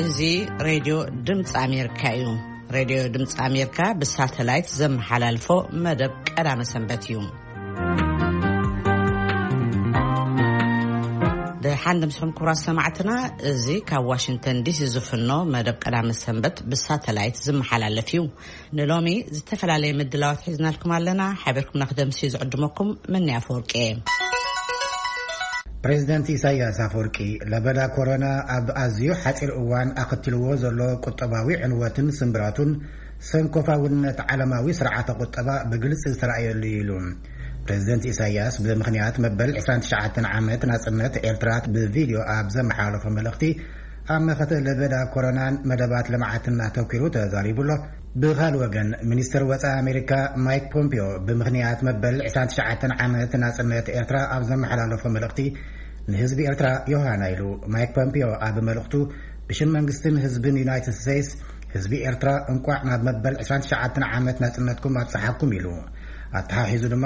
እዚ ሬድዮ ድምፂ ኣሜሪካ እዩ። ሬድዮ ድምፂ ኣሜሪካ ብሳተላይት ዘመሓላልፎ መደብ ቀዳመ ሰንበት እዩ። ደሓን ድምስኹም ክቡራት ሰማዕትና፣ እዚ ካብ ዋሽንግተን ዲሲ ዝፍኖ መደብ ቀዳመ ሰንበት ብሳተላይት ዝመሓላለፍ እዩ። ንሎሚ ዝተፈላለየ ምድላዋት ሒዝናልኩም ኣለና። ሓቢርኩም ንክደምሲ ዝዕድመኩም መኒ ኣፈወርቂ እየ። ፕሬዚደንት ኢሳያስ ኣፈወርቂ ለበዳ ኮሮና ኣብ ኣዝዩ ሓጺር እዋን ኣኸትልዎ ዘሎ ቁጠባዊ ዕንወትን ስምብራቱን ሰንኮፋውነት ዓለማዊ ስርዓተ ቁጠባ ብግልጺ ዝተራእየሉ እዩ ኢሉ። ፕሬዚደንት ኢሳያስ ብምኽንያት መበል ዕስራን ትሽዓተን ዓመት ናጽነት ኤርትራ ብቪድዮ ኣብ ዘመሓላለፎ መልእኽቲ ኣብ መኸተ ለበዳ ኮሮናን መደባት ልምዓትን ኣተኲሩ ተዛሪቡ ኣሎ። ብኻል ወገን ሚኒስትር ወፃኢ ኣሜሪካ ማይክ ፖምፒዮ ብምኽንያት መበል ዕስራን ትሽዓተን ዓመት ናጽነት ኤርትራ ኣብ ዘመሓላለፎ መልእኽቲ ንህዝቢ ኤርትራ ዮሃና ኢሉ። ማይክ ፖምፒዮ ኣብ መልእኽቱ ብሽም መንግስትን ህዝብን ዩናይትድ ስቴትስ ህዝቢ ኤርትራ እንቋዕ ናብ መበል ዕስራን ትሽዓተን ዓመት ናጽነትኩም ኣብጽሓኩም ኢሉ። ኣተሓሒዙ ድማ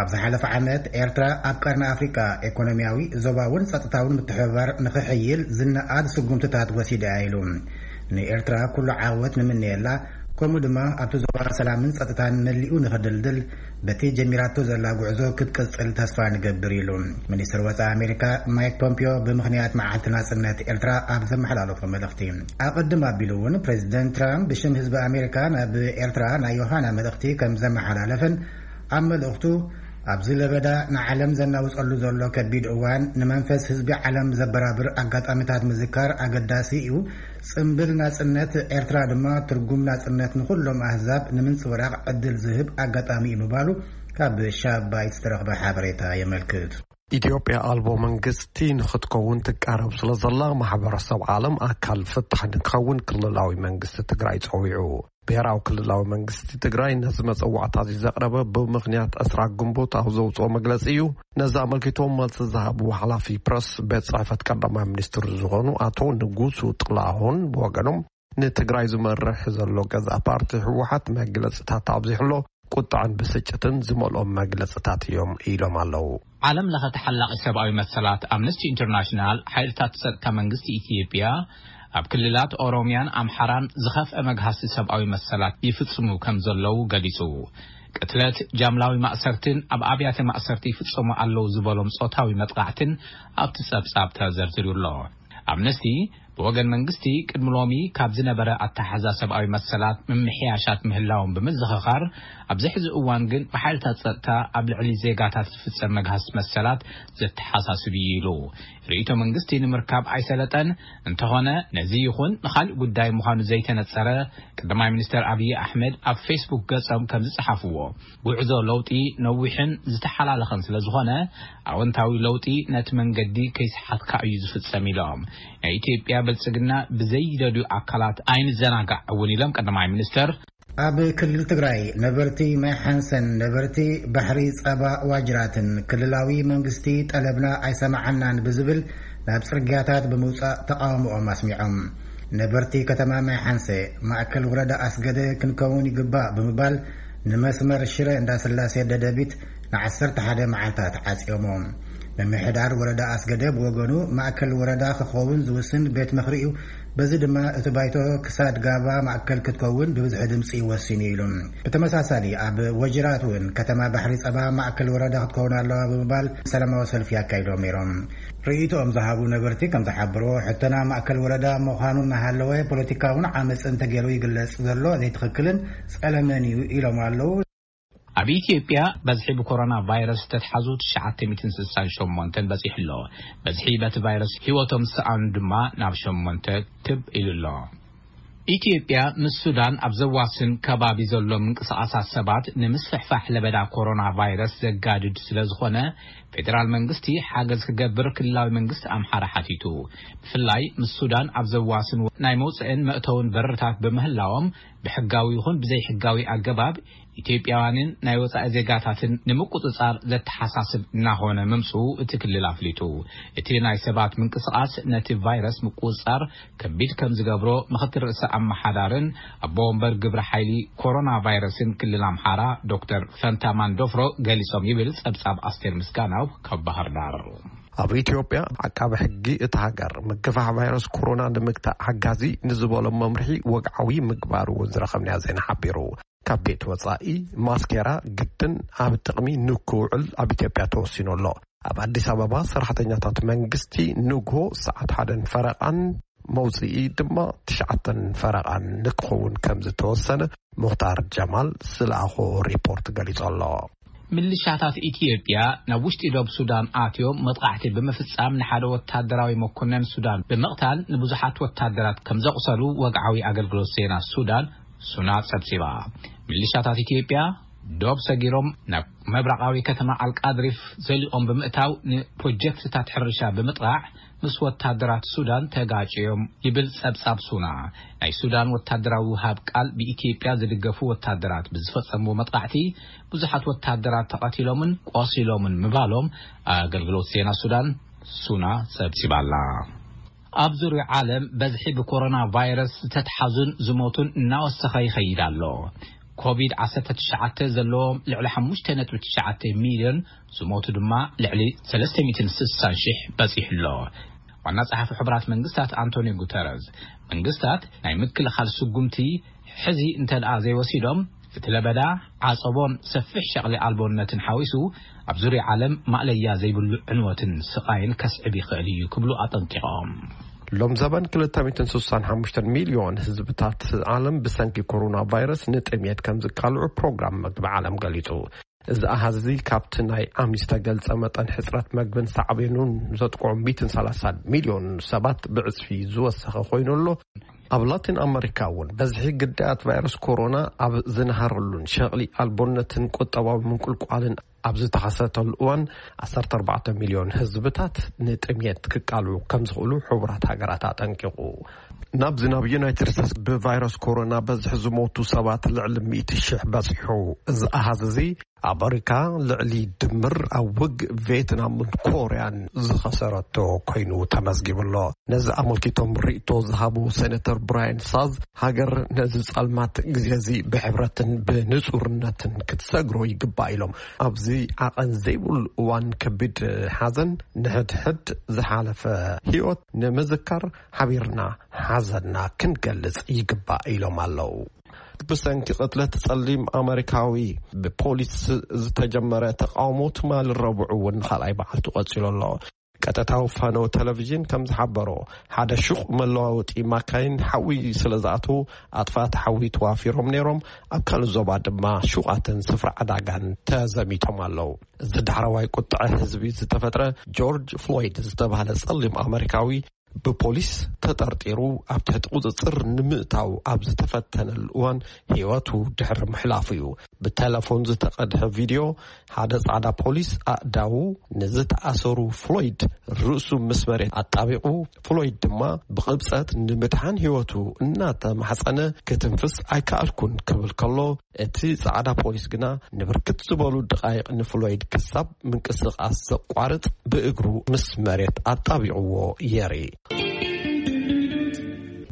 ኣብ ዝሓለፈ ዓመት ኤርትራ ኣብ ቀርኒ ኣፍሪቃ ኤኮኖሚያዊ፣ ዞባውን ጸጥታውን ምትሕብባር ንኽሕይል ዝነኣድ ስጉምትታት ወሲዳ እያ ኢሉ። ንኤርትራ ኩሉ ዓወት ንምነየላ፣ ከምኡ ድማ ኣብቲ ዞባ ሰላምን ጸጥታን መሊኡ ንኽድልድል በቲ ጀሚራቶ ዘላ ጉዕዞ ክትቅጽል ተስፋ ንገብር ኢሉ። ሚኒስትር ወጻኢ ኣሜሪካ ማይክ ፖምፒዮ ብምኽንያት መዓልቲ ናጽነት ኤርትራ ኣብ ዘመሓላለፎ መልእኽቲ፣ ኣቐድም ኣቢሉ እውን ፕሬዚደንት ትራምፕ ብሽም ህዝቢ ኣሜሪካ ናብ ኤርትራ ናይ ዮሃና መልእኽቲ ከም ዘመሓላለፈን ኣብ መልእኽቱ ኣብዚ ለበዳ ንዓለም ዘናውጸሉ ዘሎ ከቢድ እዋን ንመንፈስ ህዝቢ ዓለም ዘበራብር ኣጋጣሚታት ምዝካር ኣገዳሲ እዩ። ጽምብል ናጽነት ኤርትራ ድማ ትርጉም ናጽነት ንኹሎም ኣህዛብ ንምንጽብራቕ ዕድል ዝህብ ኣጋጣሚ እዩ ምባሉ ካብ ሻባይት ዝተረኽበ ሓበሬታ የመልክት። ኢትዮጵያ ኣልቦ መንግስቲ ንኽትከውን ትቃረብ ስለ ዘላ ማሕበረሰብ ዓለም ኣካል ፍታሕ ንክኸውን ክልላዊ መንግስቲ ትግራይ ጸዊዑ። ብሔራዊ ክልላዊ መንግስቲ ትግራይ ነዚ መጸዋዕታ እዚ ዘቕረበ ብምኽንያት ዕስራ ግንቦት ኣብ ዘውፅኦ መግለፂ እዩ። ነዚ ኣመልኪቶም መልሲ ዝሃቡ ሓላፊ ፕረስ ቤት ጽሕፈት ቀዳማይ ሚኒስትር ዝኾኑ ኣቶ ንጉሱ ጥላሁን ብወገኖም ንትግራይ ዝመርሕ ዘሎ ገዛእ ፓርቲ ህወሓት መግለፅታት ኣብዚሕሎ ቁጥዐን ብስጭትን ዝመልኦም መግለፅታት እዮም ኢሎም ኣለዉ። ዓለም ለኸ ተሓላቒ ሰብኣዊ መሰላት ኣምነስቲ ኢንተርናሽናል ሓይልታት ጸጥታ መንግስቲ ኢትዮጵያ ኣብ ክልላት ኦሮሚያን ኣምሓራን ዝኸፍአ መግሃስቲ ሰብኣዊ መሰላት ይፍጽሙ ከም ዘለዉ ገሊጹ። ቅትለት፣ ጃምላዊ ማእሰርትን ኣብ ኣብያተ ማእሰርቲ ይፍጸሙ ኣለዉ ዝበሎም ጾታዊ መጥቃዕትን ኣብቲ ጸብጻብ ተዘርዚሩ ኣሎ። ኣምነስቲ ብወገን መንግስቲ ቅድሚ ሎሚ ካብ ዝነበረ ኣተሓዛ ሰብኣዊ መሰላት ምምሕያሻት ምህላዎም ብምዝኽኻር፣ ኣብዚ ሕዚ እዋን ግን ብሓይልታት ጸጥታ ኣብ ልዕሊ ዜጋታት ዝፍጸም መግሃስ መሰላት ዘተሓሳስብ እዩ ኢሉ። ርእይቶ መንግስቲ ንምርካብ ኣይሰለጠን። እንተኾነ ነዚ ይኹን ንኻልእ ጉዳይ ምዃኑ ዘይተነጸረ ቀዳማይ ሚኒስተር ኣብይ ኣሕመድ ኣብ ፌስቡክ ገጾም ከም ዝጸሓፍዎ፣ ጉዕዞ ለውጢ ነዊሕን ዝተሓላለኸን ስለ ዝኾነ፣ ኣወንታዊ ለውጢ ነቲ መንገዲ ከይሰሓትካ እዩ ዝፍጸም ኢሎም። ናይ ኢትዮጵያ ብልጽግና ብዘይደልዩ ኣካላት ኣይንዘናጋዕ እውን ኢሎም ቀዳማይ ሚኒስተር። ኣብ ክልል ትግራይ ነበርቲ ማይ ሓንሰን ነበርቲ ባሕሪ ጸባ ዋጅራትን ክልላዊ መንግስቲ ጠለብና ኣይሰማዓናን ብዝብል ናብ ጽርግያታት ብምውጻእ ተቃውሞኦም ኣስሚዖም። ነበርቲ ከተማ ማይ ሓንሰ ማእከል ወረዳ ኣስገደ ክንከውን ይግባእ ብምባል ንመስመር ሽረ እንዳስላሴ ደደቢት ንዓሰርተ ሓደ መዓልታት ዓጽዮሞ። ምምሕዳር ወረዳ ኣስገደ ብወገኑ ማእከል ወረዳ ክኸውን ዝውስን ቤት ምኽሪ እዩ። በዚ ድማ እቲ ባይቶ ክሳድ ጋባ ማእከል ክትከውን ብብዝሒ ድምፂ ወሲኑ ኢሉ። ብተመሳሳሊ ኣብ ወጅራት እውን ከተማ ባሕሪ ጸባ ማእከል ወረዳ ክትከውን ኣለዋ ብምባል ሰላማዊ ሰልፊ ኣካይዶም ነይሮም። ርእይቶኦም ዝሃቡ ነበርቲ ከም ዝሓበሮ ሕቶና ማእከል ወረዳ ምዃኑ እናሃለወ ፖለቲካውን ዓመፅን ተገይሩ ይግለጽ ዘሎ ዘይትኽክልን ጸለመን እዩ ኢሎም ኣለዉ። ኣብ ኢትዮጵያ በዝሒ ብኮሮና ቫይረስ ዝተትሓዙ ትሽዓተ ሚእትን ስሳን ሸሞንተን በጺሑ ኣሎ። በዝሒ በቲ ቫይረስ ህይወቶም ዝሰኣኑ ድማ ናብ ሸሞንተ ክብ ኢሉ ኣሎ። ኢትዮጵያ ምስ ሱዳን ኣብ ዘዋስን ከባቢ ዘሎ ምንቅስቓሳት ሰባት ንምስፍሕፋሕ ለበዳ ኮሮና ቫይረስ ዘጋድድ ስለ ዝኾነ፣ ፌደራል መንግስቲ ሓገዝ ክገብር ክልላዊ መንግስቲ ኣምሓራ ሓቲቱ። ብፍላይ ምስ ሱዳን ኣብ ዘዋስን ናይ መውፅእን መእተውን በርታት ብምህላዎም፣ ብሕጋዊ ይኹን ብዘይሕጋዊ ኣገባብ ኢትዮጵያውያንን ናይ ወጻኢ ዜጋታትን ንምቁጽጻር ዘተሓሳስብ እናኾነ ምምጽኡ እቲ ክልል ኣፍሊጡ። እቲ ናይ ሰባት ምንቅስቓስ ነቲ ቫይረስ ምቁጽጻር ከቢድ ከም ዝገብሮ ምኽትል ርእሰ ኣመሓዳርን ኣቦ ወንበር ግብረ ሓይሊ ኮሮና ቫይረስን ክልል ኣምሓራ ዶክተር ፈንታ ማንዶፍሮ ገሊጾም ይብል ጸብጻብ ኣስቴር ምስጋናው ካብ ባህር ዳር። ኣብ ኢትዮጵያ፣ ዓቃቢ ሕጊ እታ ሃገር ምግፋሕ ቫይረስ ኮሮና ንምግታእ ሓጋዚ ንዝበሎ መምርሒ ወግዓዊ ምግባሩ እውን ዝረኸብናዮ ዜና ሓቢሩ። ካብ ቤት ወጻኢ ማስኬራ ግድን ኣብ ጥቕሚ ንክውዕል ኣብ ኢትዮጵያ ተወሲኑ ኣሎ። ኣብ ኣዲስ ኣበባ፣ ሰራሕተኛታት መንግስቲ ንግሆ ሰዓት ሓደን ፈረቓን፣ መውጽኢ ድማ ትሽዓተን ፈረቓን ንክኸውን ከም ዝተወሰነ ሙኽታር ጀማል ዝለኣኾ ሪፖርት ገሊጹ ኣሎ። ምልሻታት ኢትዮጵያ ናብ ውሽጢ ዶብ ሱዳን ኣትዮም መጥቓዕቲ ብምፍጻም፣ ንሓደ ወታደራዊ መኮነን ሱዳን ብምቕታል፣ ንብዙሓት ወታደራት ከም ዘቑሰሉ ወግዓዊ ኣገልግሎት ዜና ሱዳን፣ ሱና፣ ጸብጺባ። ምልሻታት ኢትዮጵያ ዶብ ሰጊሮም ናብ ምብራቓዊ ከተማ ኣልቃድሪፍ ዘሊቖም ብምእታው፣ ንፕሮጀክትታት ሕርሻ ብምጥቓዕ ምስ ወታደራት ሱዳን ተጋጭዮም ይብል ጸብጻብ ሱና። ናይ ሱዳን ወታደራዊ ውሃብ ቃል ብኢትዮጵያ ዝድገፉ ወታደራት ብዝፈጸምዎ መጥቃዕቲ ብዙሓት ወታደራት ተቐቲሎምን ቆሲሎምን ምባሎም ኣገልግሎት ዜና ሱዳን፣ ሱና፣ ጸብጺባ'ላ። ኣብ ዙርያ ዓለም በዝሒ ብኮሮና ቫይረስ ዝተትሓዙን ዝሞቱን እናወሰኸ ይኸይድ ኣሎ። ኮቪድ ዓሰርተ ትሽዓተ ዘለዎም ልዕሊ ሓሙሽተ ነጥቢ ትሽዓተ ሚልዮን፣ ዝሞቱ ድማ ልዕሊ ሰለስተ ሚእትን ስሳን ሽሕ በጺሑ ኣሎ። ዋና ጸሓፊ ሕቡራት መንግስታት ኣንቶኒዮ ጉተረዝ፣ መንግስታት ናይ ምክልኻል ስጉምቲ ሕዚ እንተ ደኣ ዘይወሲዶም፣ እቲ ለበዳ ዓጸቦን ሰፊሕ ሸቕሊ ኣልቦነትን ሓዊሱ ኣብ ዙርያ ዓለም ማእለያ ዘይብሉ ዕንወትን ስቓይን ከስዕብ ይኽእል እዩ ክብሉ ኣጠንቂቖም። ሎም ዘበን ክልተ ሚእትን ስሳን ሓሙሽተን ሚልዮን ህዝብታት ዓለም ብሰንኪ ኮሮና ቫይረስ ንጥምየት ከም ዝቃልዑ ፕሮግራም መግቢ ዓለም ገሊጹ። እዚ ኣሃዝ እዚ ካብቲ ናይ ዓሚ ዝተገልጸ መጠን ሕጽረት መግብን ሳዕቤኑን ዘጥቅዑ ሚእትን ሰላሳን ሚልዮን ሰባት ብዕጽፊ ዝወሰኸ ኮይኑ ኣሎ። ኣብ ላቲን ኣመሪካ እውን በዝሒ ግዳያት ቫይረስ ኮሮና ኣብ ዝነሃረሉን ሸቕሊ ኣልቦነትን ቁጠባዊ ምንቁልቋልን ኣብ ዝተኸሰተሉ እዋን፣ ዓሰርተ ኣርባዕተ ሚልዮን ህዝብታት ንጥምየት ክቃልዑ ከም ዝኽእሉ ሕቡራት ሃገራት ኣጠንቂቑ። ናብዚ ናብ ዩናይትድ ስቴትስ ብቫይረስ ኮሮና በዝሒ ዝሞቱ ሰባት ልዕሊ ሚእቲ ሽሕ በጺሑ። እዚ ኣሃዝ እዚ ኣመሪካ ልዕሊ ድምር ኣብ ውግእ ቬትናምን ኮርያን ዝኸሰረቶ ኮይኑ ተመዝጊቡ ኣሎ። ነዚ ኣመልኪቶም ርእይቶ ዝሃቡ ሴኔተር ብራያን ሳዝ፣ ሃገር ነዚ ጸልማት ግዜ እዚ ብሕብረትን ብንጹርነትን ክትሰግሮ ይግባእ ኢሎም። ኣብዚ ዓቐን ዘይብሉ እዋን ከቢድ ሓዘን፣ ንሕድሕድ ዝሓለፈ ህይወት ንምዝካር ሓቢርና ሓዘንና ክንገልጽ ይግባእ ኢሎም ኣለዉ። ብሰንኪ ቅትለት ጸሊም ኣመሪካዊ ብፖሊስ ዝተጀመረ ተቃውሞ ትማሊ ረቡዕ እውን ንኻልኣይ መዓልቱ ቀጺሉ ኣሎ። ቀጥታዊ ፋነው ቴሌቪዥን ከም ዝሓበሮ፣ ሓደ ሹቕ መለዋወጢ ማካይን ሓዊ ስለ ዝኣተዉ፣ ኣጥፋእቲ ሓዊ ተዋፊሮም ነይሮም። ኣብ ካልእ ዞባ ድማ ሹቓትን ስፍራ ዕዳጋን ተዘሚቶም ኣለዉ። እዚ ዳሕረዋይ ቁጥዐ ህዝቢ ዝተፈጥረ፣ ጆርጅ ፍሎይድ ዝተባህለ ጸሊም ኣመሪካዊ ብፖሊስ ተጠርጢሩ ኣብ ትሕቲ ቁጽጽር ንምእታው ኣብ ዝተፈተነሉ እዋን ህይወቱ ድሕሪ ምሕላፉ እዩ። ብቴሌፎን ዝተቐድሐ ቪድዮ፣ ሓደ ጻዕዳ ፖሊስ ኣእዳዉ ንዝተኣሰሩ ፍሎይድ ርእሱ ምስ መሬት ኣጣቢቑ፣ ፍሎይድ ድማ ብቕብጸት ንምድሓን ህይወቱ እናተማሕጸነ፣ ክትንፍስ ኣይከኣልኩን ክብል ከሎ፣ እቲ ጻዕዳ ፖሊስ ግና ንብርክት ዝበሉ ደቓይቕ ንፍሎይድ ክሳብ ምንቅስቓስ ዘቋርጽ ብእግሩ ምስ መሬት ኣጣቢቕዎ የርኢ።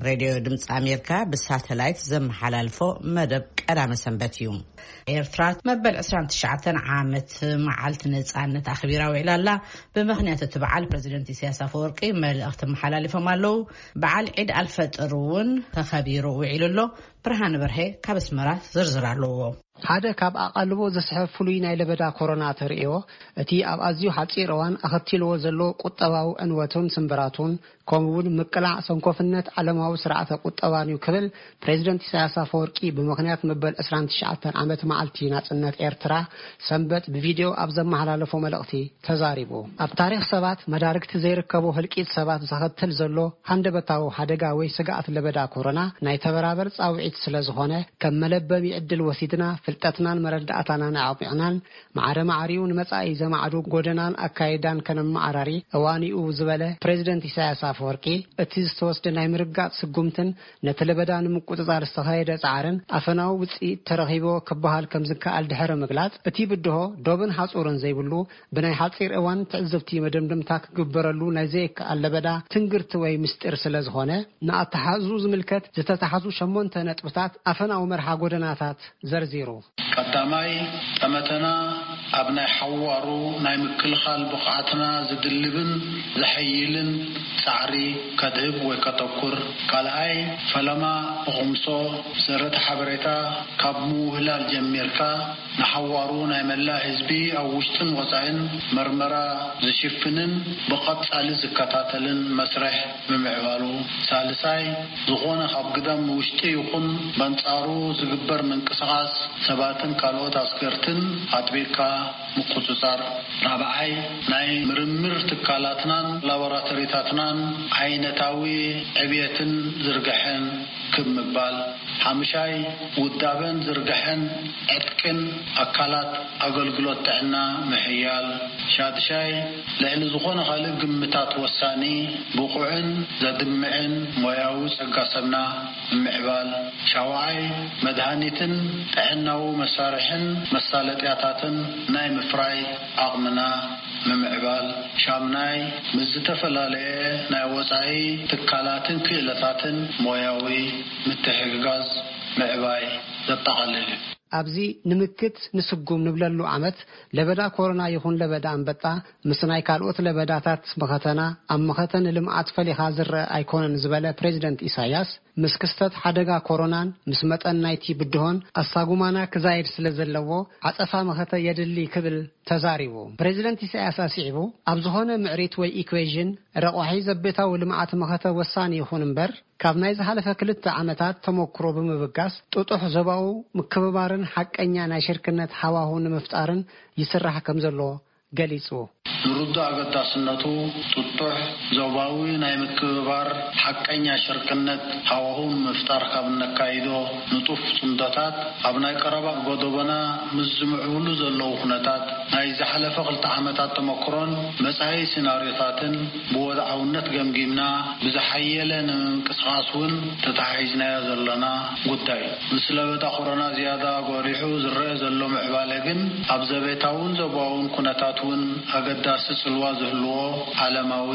ሬድዮ ድምፂ ኣሜሪካ ብሳተላይት ዘመሓላልፎ መደብ ቀዳመ ሰንበት እዩ። ኤርትራ መበል ዕስራን ትሽዓተን ዓመት መዓልቲ ነፃነት ኣኽቢራ ውዒላ ኣላ። ብምኽንያት እቲ በዓል ፕሬዚደንት ኢሳያስ ኣፈወርቂ መልእኽቲ መሓላሊፎም ኣለዉ። በዓል ዒድ ኣልፈጥር እውን ተኸቢሩ ውዒሉ ኣሎ። ብርሃን በርሄ ካብ ኣስመራ ዝርዝር ኣለዎ። ሓደ ካብ ኣቓልቦ ዘስሕብ ፍሉይ ናይ ለበዳ ኮሮና ተርእዮ፣ እቲ ኣብ ኣዝዩ ሓጺር እዋን ኣኸቲልዎ ዘሎ ቁጠባዊ ዕንወቱን ስምብራቱን፣ ከምኡ እውን ምቅላዕ ሰንኮፍነት ዓለማዊ ስርዓተ ቁጠባን እዩ ክብል ፕሬዚደንት ኢሳያስ ኣፈወርቂ ብምኽንያት መበል ዕስራን ትሽዓተን ዓመት መዓልቲ ናጽነት ኤርትራ ሰንበት ብቪድዮ ኣብ ዘመሓላለፎ መልእኽቲ ተዛሪቡ። ኣብ ታሪኽ ሰባት መዳርግቲ ዘይርከቦ ህልቂት ሰባት ዘኸትል ዘሎ ሃንደበታዊ ሓደጋ ወይ ስግኣት ለበዳ ኮሮና ናይ ተበራበር ጻውዒት ስለ ዝኾነ፣ ከም መለበሚ ዕድል ወሲድና ፍልጠትናን መረዳእታናን ኣዕሚቕናን ማዕረ ማዕሪኡ ንመጻኢ ዘማዕዱ ጎደናን ኣካይዳን ከነመዓራሪ እዋን እዩ ዝበለ ፕሬዚደንት ኢሳያስ ኣፈወርቂ፣ እቲ ዝተወስደ ናይ ምርጋጽ ስጉምትን ነቲ ለበዳ ንምቁጽጻር ዝተኻየደ ጻዕርን ኣፈናዊ ውጽኢት ተረኺብዎ ክበሃል ከም ዝከኣል ድሕሪ ምግላጽ፣ እቲ ብድሆ ዶብን ሓጹርን ዘይብሉ ብናይ ሓጺር እዋን ትዕዝብቲ መደምደምታ ክግበረሉ ናይ ዘይከኣል ለበዳ ትንግርቲ ወይ ምስጢር ስለ ዝኾነ፣ ንኣተሓሕዝኡ ዝምልከት ዝተታሕዙ ሸሞንተ ነጥብታት ኣፈናዊ መርሓ ጎደናታት ዘርዚሩ። ቀዳማይ፣ ጠመተና ኣብ ናይ ሓዋሩ ናይ ምክልኻል ብቕዓትና ዝድልብን ዘሐይልን ጻዕሪ ከድህብ ወይ ከተኩር። ካልኣይ፣ ፈለማ ብኹምሶ ዘረተ ሓበሬታ ካብ ምውህላል ጀሚርካ ንሓዋሩ ናይ መላእ ህዝቢ ኣብ ውሽጥን ወጻኢን መርመራ ዝሽፍንን ብቐጻሊ ዝከታተልን መስርሕ ምምዕባሉ። ሳልሳይ፣ ዝኾነ ካብ ግዳም ንውሽጢ ይኹን በንጻሩ ዝግበር ምንቅስቓስ ሰባትን ካልኦት ኣስገርትን ኣጥቢቕካ ምቁጽጻር። ራብዓይ፣ ናይ ምርምር ትካላትናን ላቦራቶሪታትናን ዓይነታዊ ዕብየትን ዝርግሐን ክብ ምባል። ሓምሻይ፣ ውዳበን ዝርግሐን ዕጥቅን ኣካላት ኣገልግሎት ጥዕና ምሕያል። ሻድሻይ፣ ልዕሊ ዝኾነ ካልእ ግምታት ወሳኒ፣ ብቑዕን ዘድምዕን ሞያዊ ጸጋ ሰብና ምምዕባል። ሻውዓይ፣ መድሃኒትን ጥዕናዊ መሳርሕን መሳለጥያታትን ናይ ምፍራይ ዓቕምና ምምዕባል። ሻምናይ፣ ምስ ዝተፈላለየ ናይ ወጻኢ ትካላትን ክእለታትን ሞያዊ ምትሕግጋዝ ምዕባይ ዘጠቓልል እዩ። ኣብዚ ንምክት ንስጉም ንብለሉ ዓመት ለበዳ ኮሮና ይኹን ለበዳ ኣንበጣ ምስ ናይ ካልኦት ለበዳታት መኸተና ኣብ መኸተ ንልምዓት ፈሊኻ ዝረአ ኣይኮነን ዝበለ ፕሬዚደንት ኢሳያስ፣ ምስ ክስተት ሓደጋ ኮሮናን ምስ መጠን ናይቲ ብድሆን ኣሳጉማና ክዛየድ ስለ ዘለዎ ዓጸፋ መኸተ የድሊ ክብል ተዛሪቡ። ፕሬዚደንት ኢሳያስ ኣስዒቡ፣ ኣብ ዝኾነ ምዕሪት ወይ ኢኩዌዥን ረቋሒ ዘቤታዊ ልምዓት መኸተ ወሳኒ ይኹን እምበር፣ ካብ ናይ ዝሓለፈ ክልተ ዓመታት ተመክሮ ብምብጋስ ጥጡሕ ዞባዊ ምክብባርን ሓቀኛ ናይ ሽርክነት ሃዋሁ ንምፍጣርን ይስራሕ ከም ዘሎ ገሊጹ። ንርዱእ ኣገዳስነቱ ጥጡሕ ዞባዊ ናይ ምክብባር ሓቀኛ ሽርክነት ሃዋሁ ንምፍጣር ካብ እነካይዶ ንጡፍ ጽምዶታት ኣብ ናይ ቀረባ ጎደቦና ምስ ዝምዕብሉ ዘለዉ ኩነታት ናይ ዝሓለፈ ክልተ ዓመታት ተመክሮን መጻኢ ሲናርዮታትን ብወድዓውነት ገምጊምና ብዝሓየለ ንምንቅስቓስ እውን ተተሓሒዝናዮ ዘሎና ጉዳይ እዩ። ምስ ለበዳ ኮሮና ዝያዳ ጎሊሑ ዝረአ ዘሎ ምዕባለ ግን ኣብ ዘቤታውን ዞባውን ኩነታት እውን ኣገዳሲ ጽልዋ ዝህልዎ ዓለማዊ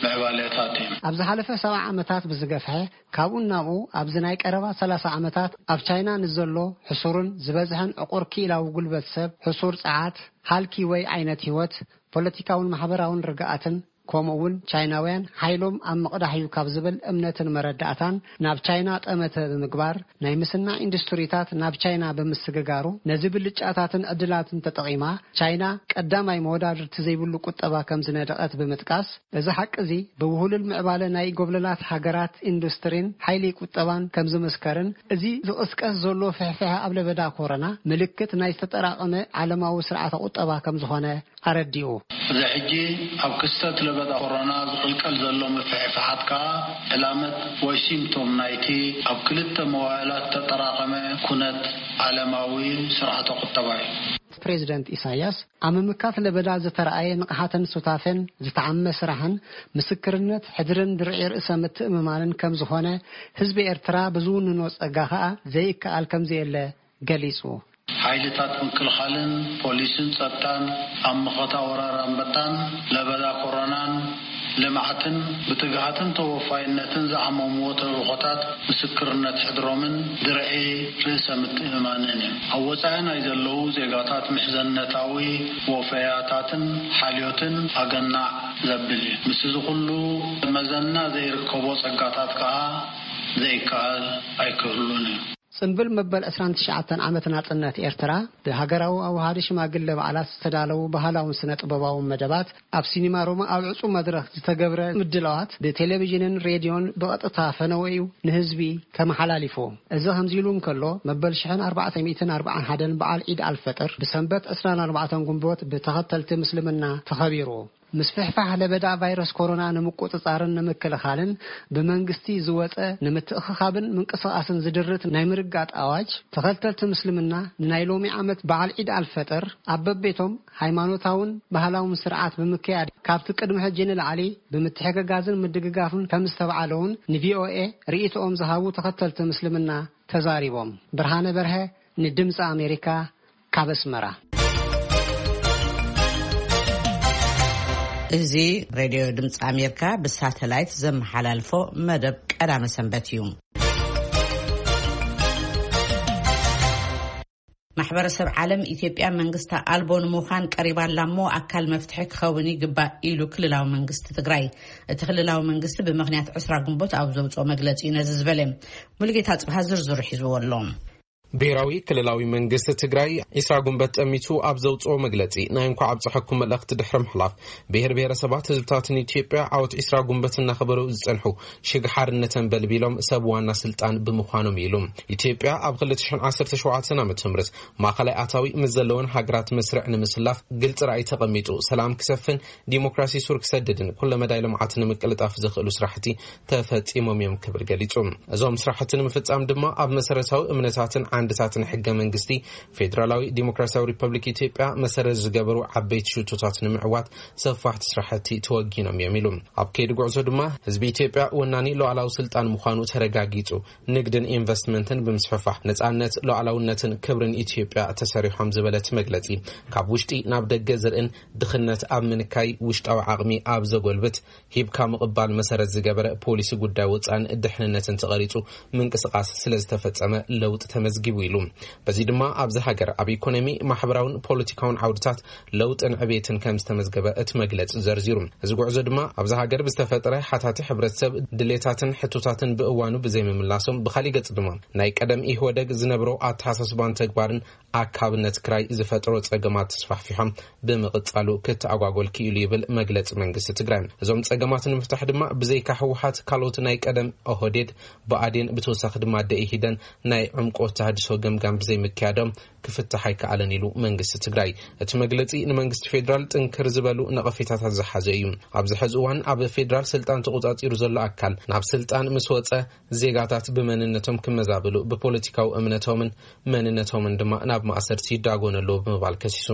ምዕባለታት እዩ። ኣብ ዝሓለፈ ሰብዓ ዓመታት ብዝገፍሐ፣ ካብኡ ናብኡ ኣብዚ ናይ ቀረባ ሰላሳ ዓመታት ኣብ ቻይና ንዘሎ ሕሱርን ዝበዝሐን ዕቑር ክኢላዊ ጉልበት ሰብ፣ ሕሱር ጸዓት፣ ሃልኪ ወይ ዓይነት ህይወት፣ ፖለቲካውን ማሕበራውን ርግኣትን፣ ከምኡ እውን ቻይናውያን ሓይሎም ኣብ ምቕዳሕ እዩ ካብ ዝብል እምነትን መረዳእታን ናብ ቻይና ጠመተ ብምግባር ናይ ምስናዕ ኢንዱስትሪታት ናብ ቻይና ብምስግጋሩ ነዚ ብልጫታትን ዕድላትን ተጠቒማ ቻይና ቀዳማይ መወዳድርቲ ዘይብሉ ቁጠባ ከም ዝነደቐት ብምጥቃስ፣ እዚ ሓቂ እዚ ብውህሉል ምዕባለ ናይ ጎብለላት ሃገራት ኢንዱስትሪን ሓይሊ ቁጠባን ከም ዝምስከርን እዚ ዝቕስቀስ ዘሎ ፍሕፍሐ ኣብ ለበዳ ኮረና ምልክት ናይ ዝተጠራቐመ ዓለማዊ ስርዓተ ቁጠባ ከም ዝኾነ ኣረዲኡ። እዚ ሕጂ ኣብ ክስተት ለበዳ ኮሮና ዝቕልቀል ዘሎ ምፍሕፋሓት ከኣ ዕላመት ወይ ሲምቶም ናይቲ ኣብ ክልተ መዋእላት ተጠራቐመ ኩነት ዓለማዊ ስርዓተ ቁጠባ እዩ። ፕሬዚደንት ኢሳያስ ኣብ ምምካት ለበዳ ዝተረኣየ ንቕሓትን ሱታፌን ዝተዓመ ስራሕን ምስክርነት ሕድርን ድርዒ ርእሰ ምትእምማንን ከም ዝኾነ ህዝቢ ኤርትራ ብዝውንኖ ጸጋ ከኣ ዘይከኣል ከም ዘየለ ገሊጹ። ሓይልታት ምክልኻልን ፖሊስን ጸጥታን ኣብ መኸታ ወራር ኣንበጣን ለበዳ ኮሮናን ልምዓትን ብትግሃትን ተወፋይነትን ዝዓመምዎ ተልእኾታት ምስክርነት ሕድሮምን ድርዒ ርእሰ ምትእምማንን እዩ። ኣብ ወጻኢ ናይ ዘለዉ ዜጋታት ምሕዘነታዊ ወፈያታትን ሓልዮትን ኣገናዕ ዘብል እዩ። ምስዚ ኩሉ መዘና ዘይርከቦ ጸጋታት ከኣ ዘይከኣል ኣይክህሉን እዩ። ጽንብል መበል ዕስራን ትሽዓተን ዓመት ናጽነት ኤርትራ ብሃገራዊ ኣውሃዲ ሽማግለ በዓላት ዝተዳለዉ ባህላውን ስነ ጥበባውን መደባት፣ ኣብ ሲኒማ ሮማ ኣብ ዕጹው መድረኽ ዝተገብረ ምድላዋት ብቴሌቪዥንን ሬድዮን ብቐጥታ ፈነወ እዩ ንህዝቢ ተመሓላሊፉ። እዚ ከምዚ ኢሉ እንከሎ፣ መበል ሽሕን ኣርባዕተ ሚእትን ኣርባዓን ሓደን በዓል ዒድ ኣልፈጥር ብሰንበት ዕስራን ኣርባዕተን ጉንቦት ብተኸተልቲ ምስልምና ተኸቢሩ። ምስፍሕፋሕ ለበዳ ቫይረስ ኮሮና ንምቁጽጻርን ንምክልኻልን ብመንግስቲ ዝወጸ ንምትእኽኻብን ምንቅስቓስን ዝድርት ናይ ምርጋጥ ኣዋጅ፣ ተኸተልቲ ምስልምና ንናይ ሎሚ ዓመት በዓል ዒድ ኣልፈጥር ኣብ በቤቶም ሃይማኖታውን ባህላውን ስርዓት ብምክያድ ካብቲ ቅድሚ ሕጂ ንላዕሊ ብምትሕግጋዝን ምድግጋፍን ከም ዝተብዓለውን ንቪኦኤ ርእይቶኦም ዝሃቡ ተኸተልቲ ምስልምና ተዛሪቦም። ብርሃነ በርሀ ንድምፂ ኣሜሪካ ካብ ኣስመራ። እዚ ሬድዮ ድምፂ ኣሜሪካ ብሳተላይት ዘመሓላልፎ መደብ ቀዳመ ሰንበት እዩ። ማሕበረሰብ ዓለም ኢትዮጵያ መንግስቲ ኣልቦ ንምዃን ቀሪባ ኣላ እሞ ኣካል መፍትሒ ክኸውን ይግባእ ኢሉ ክልላዊ መንግስቲ ትግራይ። እቲ ክልላዊ መንግስቲ ብምኽንያት ዕስራ ግንቦት ኣብ ዘውፅኦ መግለፂ እዩ ነዚ ዝበለ። ሙሉጌታ ጽብሃ ዝርዝሩ ሒዝዎ ኣሎ። ብሔራዊ ክልላዊ መንግስቲ ትግራይ ዒስራ ጉንበት ጠሚቱ ኣብ ዘውፅኦ መግለፂ፣ ናይ እንኳዕ ኣብፀሐኩም መልእኽቲ ድሕሪ ምሕላፍ፣ ብሔር ብሔረሰባት ህዝብታትን ኢትዮጵያ ዓወት ዒስራ ጉንበት እናኸበሩ ዝፀንሑ ሽግ ሓርነተን በልቢሎም ሰብ ዋና ስልጣን ብምዃኖም ኢሉ። ኢትዮጵያ ኣብ ክልተ ሽሕን ዓሰርተ ሸውዓተን ዓመተ ምህረት ማእኸላይ ኣታዊ ምስ ዘለወን ሃገራት መስርዕ ንምስላፍ ግልፂ ራእይ ተቐሚጡ፣ ሰላም ክሰፍን ዲሞክራሲ ሱር ክሰድድን ኩለመዳይ ልምዓት ንምቅልጣፍ ዘኽእሉ ስራሕቲ ተፈፂሞም እዮም ክብል ገሊፁ። እዞም ስራሕቲ ንምፍፃም ድማ ኣብ መሰረታዊ እምነታትን ዓንድታትን ሕገ መንግስቲ ፌዴራላዊ ዲሞክራሲያዊ ሪፐብሊክ ኢትዮጵያ መሰረት ዝገበሩ ዓበይቲ ሽቶታት ንምዕዋት ሰፋሕቲ ስራሕቲ ተወጊኖም እዮም ኢሉ። ኣብ ከይዲ ጉዕዞ ድማ ህዝቢ ኢትዮጵያ ወናኒ ሉዓላዊ ስልጣን ምዃኑ ተረጋጊፁ፣ ንግድን ኢንቨስትመንትን ብምስፍፋሕ ነፃነት፣ ሉዓላውነትን ክብርን ኢትዮጵያ ተሰሪሖም ዝበለት መግለፂ፣ ካብ ውሽጢ ናብ ደገ ዝርእን ድኽነት ኣብ ምንካይ ውሽጣዊ ዓቕሚ ኣብ ዘጎልብት ሂብካ ምቕባል መሰረት ዝገበረ ፖሊሲ ጉዳይ ወፃን ድሕንነትን ተቐሪፁ ምንቅስቃስ ስለ ዝተፈፀመ ለውጢ ተመዝጊቡ ኢሉ። በዚ ድማ ኣብዚ ሃገር ኣብ ኢኮኖሚ፣ ማሕበራውን ፖለቲካውን ዓውድታት ለውጥን ዕቤትን ከም ዝተመዝገበ እቲ መግለፂ ዘርዚሩ። እዚ ጉዕዞ ድማ ኣብዚ ሃገር ብዝተፈጠረ ሓታቲ ሕብረተሰብ ድሌታትን ሕቶታትን ብእዋኑ ብዘይምምላሶም፣ ብኻሊእ ገፅ ድማ ናይ ቀደም ኢህወደግ ዝነብሮ ኣተሓሳስባን ተግባርን ኣካብነት ክራይ ዝፈጥሮ ጸገማት ተስፋሕፊሖም ብምቕጻሉ ክተኣጓጎል ክኢሉ ይብል መግለጺ መንግስቲ ትግራይ። እዞም ጸገማት ንምፍታሕ ድማ ብዘይካ ህወሓት ካልኦት ናይ ቀደም ኦህዴድ፣ ብኣዴን ብተወሳኺ ድማ ደኢህዴን ናይ ዕምቆት ተሃድሶ ገምጋም ብዘይምክያዶም ክፍታሕ ኣይከኣለን ኢሉ መንግስቲ ትግራይ። እቲ መግለጺ ንመንግስቲ ፌዴራል ጥንክር ዝበሉ ነቐፌታታት ዝሓዘ እዩ። ኣብዚ ሕዚ እዋን ኣብ ፌዴራል ስልጣን ተቆጻጺሩ ዘሎ ኣካል ናብ ስልጣን ምስ ወጸ ዜጋታት ብመንነቶም ክመዛበሉ፣ ብፖለቲካዊ እምነቶምን መንነቶምን ድማ ናብ ማእሰርቲ ይዳጎኑ ኣለዉ ብምባል ከሲሱ።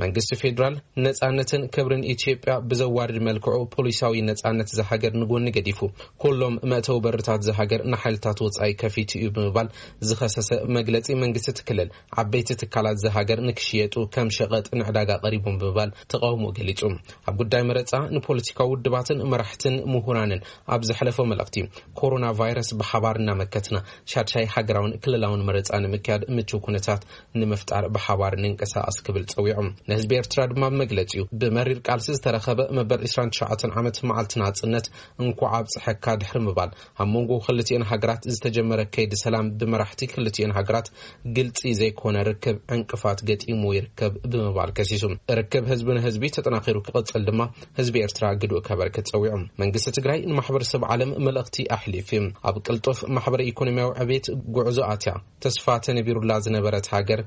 መንግስቲ ፌዴራል ነጻነትን ክብርን ኢትዮጵያ ብዘዋርድ መልክዑ ፖሊሳዊ ነጻነት እዛ ሃገር ንጎኒ ገዲፉ፣ ኩሎም መእተዊ በርታት እዛ ሃገር ንሓይልታት ወጻኢ ከፊቱ እዩ ብምባል ዝኸሰሰ መግለጺ መንግስቲ እቲ ክልል፣ ዓበይቲ ትካላት እዛ ሃገር ንክሽየጡ ከም ሸቐጥ ንዕዳጋ ቀሪቦም ብምባል ተቃውሞ ገሊጹ። ኣብ ጉዳይ መረጻ ንፖለቲካዊ ውድባትን መራሕትን ምሁራንን ኣብ ዘሕለፎ መልእኽቲ፣ ኮሮና ቫይረስ ብሓባር እናመከትና ሻድሻይ ሃገራውን ክልላውን መረጻ ንምክያድ ምቹው ኩነታት ንምፍጣር ብሓባር ንንቀሳቐስ ክብል ጸዊዑ። ንህዝቢ ኤርትራ ድማ ብመግለጺኡ፣ ብመሪር ቃልሲ ዝተረኸበ መበል ዒስራን ትሽዓተን ዓመት መዓልቲ ናጽነት እንኳዕ ኣብጽሐካ ድሕሪ ምባል፣ ኣብ መንጎ ክልቲኤን ሃገራት ዝተጀመረ ከይዲ ሰላም ብመራሕቲ ክልቲኤን ሃገራት ግልጺ ዘይኮነ ርክብ ዕንቅፋት ገጢሙ ይርከብ ብምባል ከሲሱ። ርክብ ህዝቢ ንህዝቢ ተጠናኺሩ ክቕጽል ድማ ህዝቢ ኤርትራ ግዱእ ከበርክት ጸዊዑ። መንግስቲ ትግራይ ንማሕበረሰብ ዓለም መልእኽቲ ኣሕሊፉ። ኣብ ቅልጡፍ ማሕበረ ኢኮኖሚያዊ ዕቤት ጉዕዞ ኣትያ ተስፋ ተነቢሩላ ዝነበረት ሃገር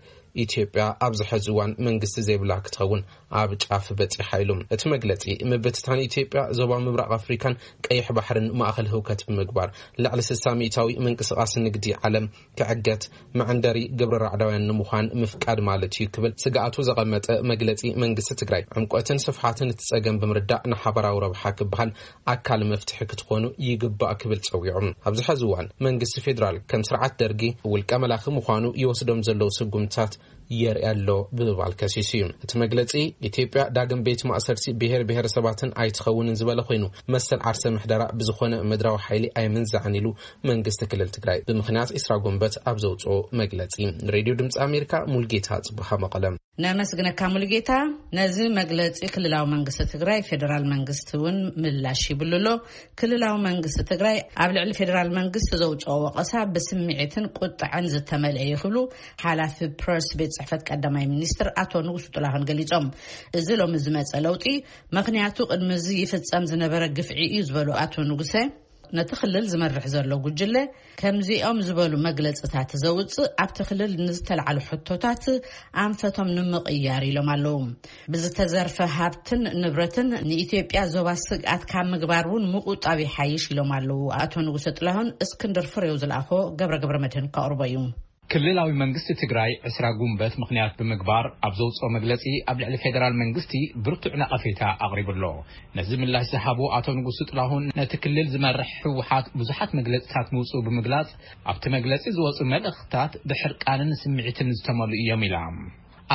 ኢትዮጵያ ኣብዚ ሕዚ እዋን መንግስቲ ዘይብላ ክትኸውን ኣብ ጫፍ በጺሓ ኢሉ። እቲ መግለጺ፣ ምብትታን ኢትዮጵያ ዞባ ምብራቕ ኣፍሪካን ቀይሕ ባሕርን ማእኸል ህውከት ብምግባር፣ ልዕሊ ስሳ ሚእታዊ ምንቅስቓስ ንግዲ ዓለም ክዕገት፣ መዐንደሪ ግብረ ራዕዳውያን ንምዃን ምፍቃድ ማለት እዩ ክብል ስግኣቱ ዘቐመጠ መግለጺ መንግስቲ ትግራይ፣ ዕምቆትን ስፍሓትን እቲ ጸገም ብምርዳእ ንሓበራዊ ረብሓ ክበሃል ኣካል መፍትሒ ክትኾኑ ይግባእ ክብል ጸዊዑ። ኣብዚ ሕዚ እዋን መንግስቲ ፌዴራል ከም ስርዓት ደርጊ ውልቀ መላኺ ምዃኑ ይወስዶም ዘለዉ ስጉምትታት የርኢ ኣሎ ብምባል ከሲሱ እዩ። እቲ መግለጺ፣ ኢትዮጵያ ዳግም ቤት ማእሰርቲ ብሔር ብሔረሰባትን ኣይትኸውንን ዝበለ ኮይኑ፣ መሰል ዓርሰ ምሕደራ ብዝኾነ ምድራዊ ሓይሊ ኣይምንዛዕን ኢሉ መንግስቲ ክልል ትግራይ ብምኽንያት ዒስራ ጉንበት ኣብ ዘውፅኦ መግለጺ። ንሬድዮ ድምፂ ኣሜሪካ ሙልጌታ ጽቡሃ መቐለም። ነመስግነካ ሙሉጌታ። ነዚ መግለጺ ክልላዊ መንግስቲ ትግራይ ፌዴራል መንግስቲ እውን ምላሽ ይብሉ ኣሎ። ክልላዊ መንግስቲ ትግራይ ኣብ ልዕሊ ፌዴራል መንግስቲ ዘውፅኦ ወቐሳ ብስምዒትን ቁጥዐን ዝተመልአ እዩ ክብሉ ሓላፊ ፕረስ ቤት ጽሕፈት ቀዳማይ ሚኒስትር ኣቶ ንጉሱ ጥላሁን ገሊጾም። እዚ ሎሚ ዝመጸ ለውጢ ምኽንያቱ ቅድሚ እዚ ይፍጸም ዝነበረ ግፍዒ እዩ ዝበሉ ኣቶ ንጉሰ፣ ነቲ ክልል ዝመርሕ ዘሎ ጉጅለ ከምዚኦም ዝበሉ መግለጽታት ዘውጽእ ኣብቲ ክልል ንዝተላዕሉ ሕቶታት ኣንፈቶም ንምቕያር ኢሎም ኣለዉ። ብዝተዘርፈ ሃብትን ንብረትን ንኢትዮጵያ ዞባ ስግኣት ካብ ምግባር እውን ምቁጣብ ይሓይሽ ኢሎም ኣለዉ ኣቶ ንጉሰ ጥላሁን። እስክንድር ፍሬው ዝለኣኾ ገብረ ገብረ መድህን ከቕርቦ እዩ። ክልላዊ መንግስቲ ትግራይ ዕስራ ጉንበት ምኽንያት ብምግባር ኣብ ዘውፅኦ መግለፂ ኣብ ልዕሊ ፌደራል መንግስቲ ብርቱዕ ነቐፌታ ኣቕሪቡ ኣሎ። ነዚ ምላሽ ዝሃቡ ኣቶ ንጉሱ ጥላሁን ነቲ ክልል ዝመርሕ ህወሓት ብዙሓት መግለፅታት ምውፅኡ ብምግላፅ ኣብቲ መግለፂ ዝወፁ መልእኽትታት ብሕርቃንን ስምዒትን ዝተመሉ እዮም ኢላ።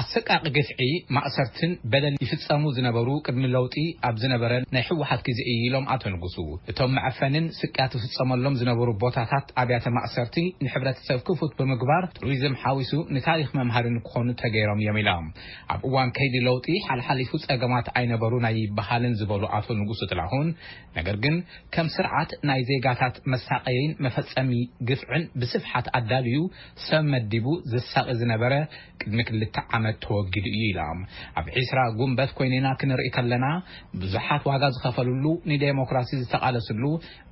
ኣሰቃቂ ግፍዒ፣ ማእሰርትን በደል ይፍጸሙ ዝነበሩ ቅድሚ ለውጢ ኣብ ዝነበረ ናይ ህወሓት ግዜ እዩ ኢሎም ኣቶ ንጉሱ። እቶም መዐፈንን ስቅያት ዝፍጸመሎም ዝነበሩ ቦታታት ኣብያተ ማእሰርቲ ንሕብረተሰብ ክፉት ብምግባር ቱሪዝም ሓዊሱ ንታሪኽ መምሃሪ ንክኾኑ ተገይሮም እዮም ኢሎም። ኣብ እዋን ከይዲ ለውጢ ሓልሓሊፉ ጸገማት ኣይነበሩን ኣይበሃልን ዝበሉ ኣቶ ንጉሱ ጥላሁን፣ ነገር ግን ከም ስርዓት ናይ ዜጋታት መሳቀይን መፈጸሚ ግፍዕን ብስፍሓት ኣዳልዩ ሰብ መዲቡ ዘሳቂ ዝነበረ ቅድሚ ክልተ ዓመት ተወጊዱ እዩ ኢሎም። ኣብ ዒስራ ጉንበት ኮይንና ክንርኢ ከለና ብዙሓት ዋጋ ዝኸፈልሉ፣ ንዴሞክራሲ ዝተቓለስሉ፣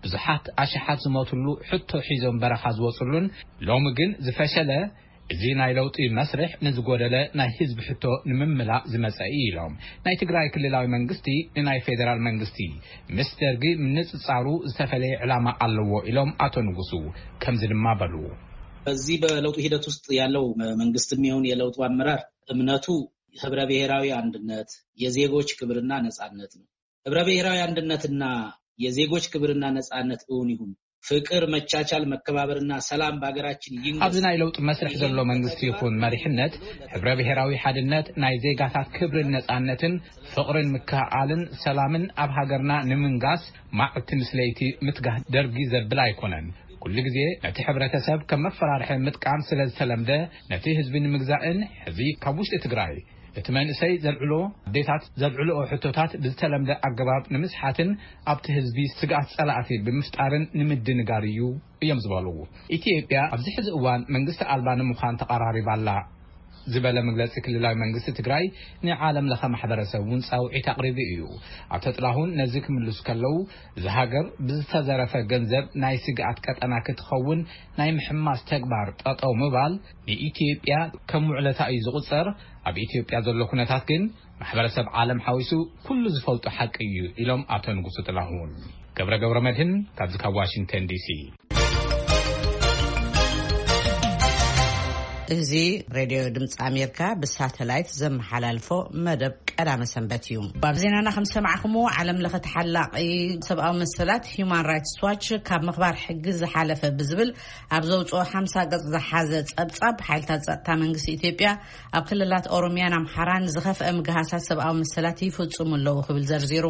ብዙሓት ኣሽሓት ዝሞትሉ ሕቶ ሒዞም በረኻ ዝወፅሉን ሎሚ ግን ዝፈሸለ እዚ ናይ ለውጢ መስርሕ ንዝጎደለ ናይ ህዝቢ ሕቶ ንምምላእ ዝመጸ እዩ ኢሎም። ናይ ትግራይ ክልላዊ መንግስቲ ንናይ ፌዴራል መንግስቲ ምስ ደርጊ ምንጽጻሩ ዝተፈለየ ዕላማ ኣለዎ ኢሎም ኣቶ ንጉሱ ከምዚ ድማ በሉ። በዚህ በለውጡ ሂደት ውስጥ ያለው መንግስትም ይሁን የለውጡ አመራር እምነቱ ህብረ ብሔራዊ አንድነት፣ የዜጎች ክብርና ነጻነት ነው። ህብረ ብሔራዊ አንድነትና የዜጎች ክብርና ነጻነት እውን ይሁን ፍቅር፣ መቻቻል፣ መከባበርና ሰላም በሀገራችን ይንገስ። ኣብዚ ናይ ለውጢ መስርሕ ዘሎ መንግስቲ ይኹን መሪሕነት፣ ሕብረ ብሔራዊ ሓድነት፣ ናይ ዜጋታት ክብርን ነጻነትን፣ ፍቕርን ምክእኣልን ሰላምን ኣብ ሃገርና ንምንጋስ፣ ማዕልቲ ምስ ለይቲ ምትጋህ ደርጊ ዘብል ኣይኮነን። ኩሉ ግዜ ነቲ ሕብረተሰብ ከም መፈራርሒ ምጥቃም ስለ ዝተለምደ፣ ነቲ ህዝቢ ንምግዛእን፣ ሕዚ ካብ ውሽጢ ትግራይ እቲ መንእሰይ ዘልዕሎ፣ ኣዴታት ዘልዕልኦ ሕቶታት ብዝተለምደ ኣገባብ ንምስሓትን ኣብቲ ህዝቢ ስግኣት ጸላእቲ ብምፍጣርን ንምድንጋር እዩ እዮም ዝበሉ። ኢትዮጵያ ኣብዚ ሕዚ እዋን መንግስቲ ኣልባ ንምዃን ተቐራሪባ ኣላ ዝበለ መግለጺ ክልላዊ መንግስቲ ትግራይ፣ ንዓለም ለኸ ማሕበረሰብ እውን ጻውዒት ኣቕሪቡ እዩ። ኣቶ ጥላሁን ነዚ ክምልሱ ከለዉ፣ እዚ ሃገር ብዝተዘረፈ ገንዘብ ናይ ስግኣት ቀጠና ክትኸውን ናይ ምሕማስ ተግባር ጠጠው ምባል ንኢትዮጵያ ከም ውዕለታ እዩ ዝቑጸር። ኣብ ኢትዮጵያ ዘሎ ኩነታት ግን ማሕበረሰብ ዓለም ሓዊሱ ኩሉ ዝፈልጦ ሓቂ እዩ ኢሎም ኣቶ ንጉሱ ጥላሁን። ገብረ ገብረ መድህን ካብዚ ካብ ዋሽንግተን ዲሲ። እዚ ሬድዮ ድምፂ ኣሜሪካ ብሳተላይት ዘመሓላልፎ መደብ ቀዳመ ሰንበት እዩ። ኣብ ዜናና ከም ዝሰማዕኹምዎ፣ ዓለም ለኸ ተሓላቒ ሰብኣዊ መሰላት ሂዩማን ራይትስ ዋች ካብ ምኽባር ሕጊ ዝሓለፈ ብዝብል ኣብ ዘውፅኦ ሓምሳ ገፅ ዝሓዘ ፀብፃብ፣ ሓይልታት ፀጥታ መንግስቲ ኢትዮጵያ ኣብ ክልላት ኦሮሚያን ኣምሓራን ዝኸፍአ ምግሃሳት ሰብኣዊ መሰላት ይፍፅሙ ኣለዉ ክብል ዘርዚሩ።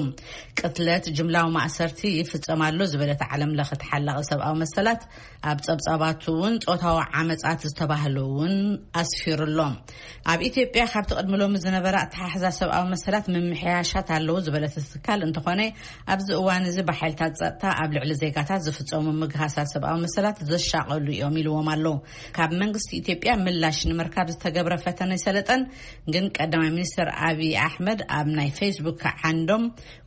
ቅትለት፣ ጅምላዊ ማእሰርቲ ይፍፀም ኣሎ ዝበለት ዓለም ለኸ ተሓላቒ ሰብኣዊ መሰላት፣ ኣብ ጸብጻባቱ እውን ጾታዊ ዓመጻት ዝተባህሉ እውን ኣስፊሩ ኣሎ። ኣብ ኢትዮጵያ ካብቲ ቅድሚ ሎሚ ዝነበረ ኣተሓሕዛ ሰብኣዊ መሰላት ምምሕያሻት ኣለዉ ዝበለት እቲ ትካል እንተኾነ፣ ኣብዚ እዋን እዚ ብሓይልታት ጸጥታ ኣብ ልዕሊ ዜጋታት ዝፍጸሙ ምግሃሳት ሰብኣዊ መሰላት ዘሻቐሉ እዮም ኢልዎም ኣሎ። ካብ መንግስቲ ኢትዮጵያ ምላሽ ንምርካብ ዝተገብረ ፈተነ ኣይሰለጠን። ግን ቀዳማይ ሚኒስትር ኣብይ ኣሕመድ ኣብ ናይ ፌስቡክ ዓንዶም፣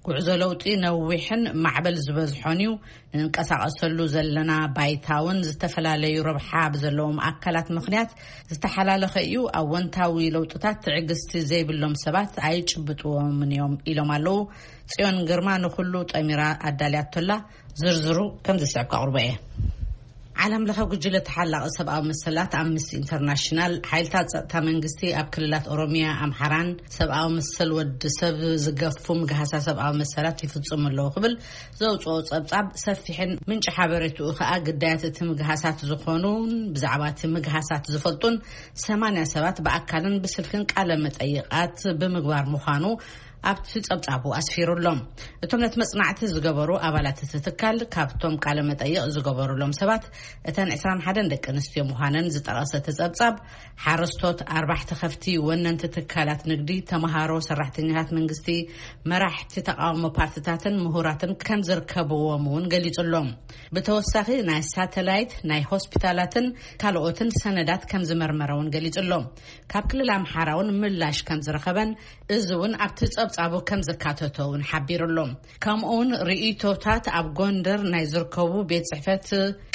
ጉዕዞ ለውጢ ነዊሕን ማዕበል ዝበዝሖን እዩ። ንንቀሳቐሰሉ ዘለና ባይታ እውን ዝተፈላለዩ ረብሓ ብዘለዎም ኣካላት ምኽንያት ዝተሓላለኸ እዩ። ኣወንታዊ ለውጥታት ትዕግስቲ ዘይብሎም ሰባት ኣይጭብጥዎምን እዮም ኢሎም ኣለዉ። ጽዮን ግርማ ንኹሉ ጠሚራ ኣዳልያቶላ። ዝርዝሩ ከም ዝስዕብ ከቕርቦ እየ። ዓለም ለኸ ጉጅለ ተሓላቒ ሰብኣዊ መሰላት ኣምነስቲ ኢንተርናሽናል፣ ሓይልታት ጸጥታ መንግስቲ ኣብ ክልላት ኦሮሚያ፣ ኣምሓራን ሰብኣዊ መሰል ወዲ ሰብ ዝገፉ ምግሃሳ ሰብኣዊ መሰላት ይፍጽሙ ኣለዉ ክብል ዘውጽኦ ጸብጻብ ሰፊሕን ምንጪ ሓበሬትኡ ከኣ ግዳያት እቲ ምግሃሳት ዝኾኑን ብዛዕባ እቲ ምግሃሳት ዝፈልጡን ሰማንያ ሰባት ብኣካልን ብስልክን ቃለ መጠይቓት ብምግባር ምዃኑ ኣብቲ ጸብጻቡ ኣስፊሩ ኣሎ። እቶም ነቲ መጽናዕቲ ዝገበሩ ኣባላት እቲ ትካል፣ ካብቶም ቃለ መጠይቕ ዝገበሩሎም ሰባት እተን ዕስራን ሓደን ደቂ ኣንስትዮ ምዃነን ዝጠቐሰ እቲ ጸብጻብ፣ ሓረስቶት፣ ኣርባሕቲ ከፍቲ፣ ወነንቲ ትካላት ንግዲ፣ ተመሃሮ፣ ሰራሕተኛታት መንግስቲ፣ መራሕቲ ተቓውሞ ፓርትታትን ምሁራትን ከም ዝርከብዎም እውን ገሊጹ ኣሎ። ብተወሳኺ ናይ ሳተላይት፣ ናይ ሆስፒታላትን ካልኦትን ሰነዳት ከም ዝመርመረ እውን ገሊጹ ኣሎ። ካብ ክልል ኣምሓራ እውን ምላሽ ከም ዝረኸበን፣ እዚ እውን ኣብቲ ጸብጻቡ ከም ዘካተቶ እውን ሓቢሩ ኣሎ። ከምኡ እውን ርእይቶታት ኣብ ጎንደር ናይ ዝርከቡ ቤት ጽሕፈት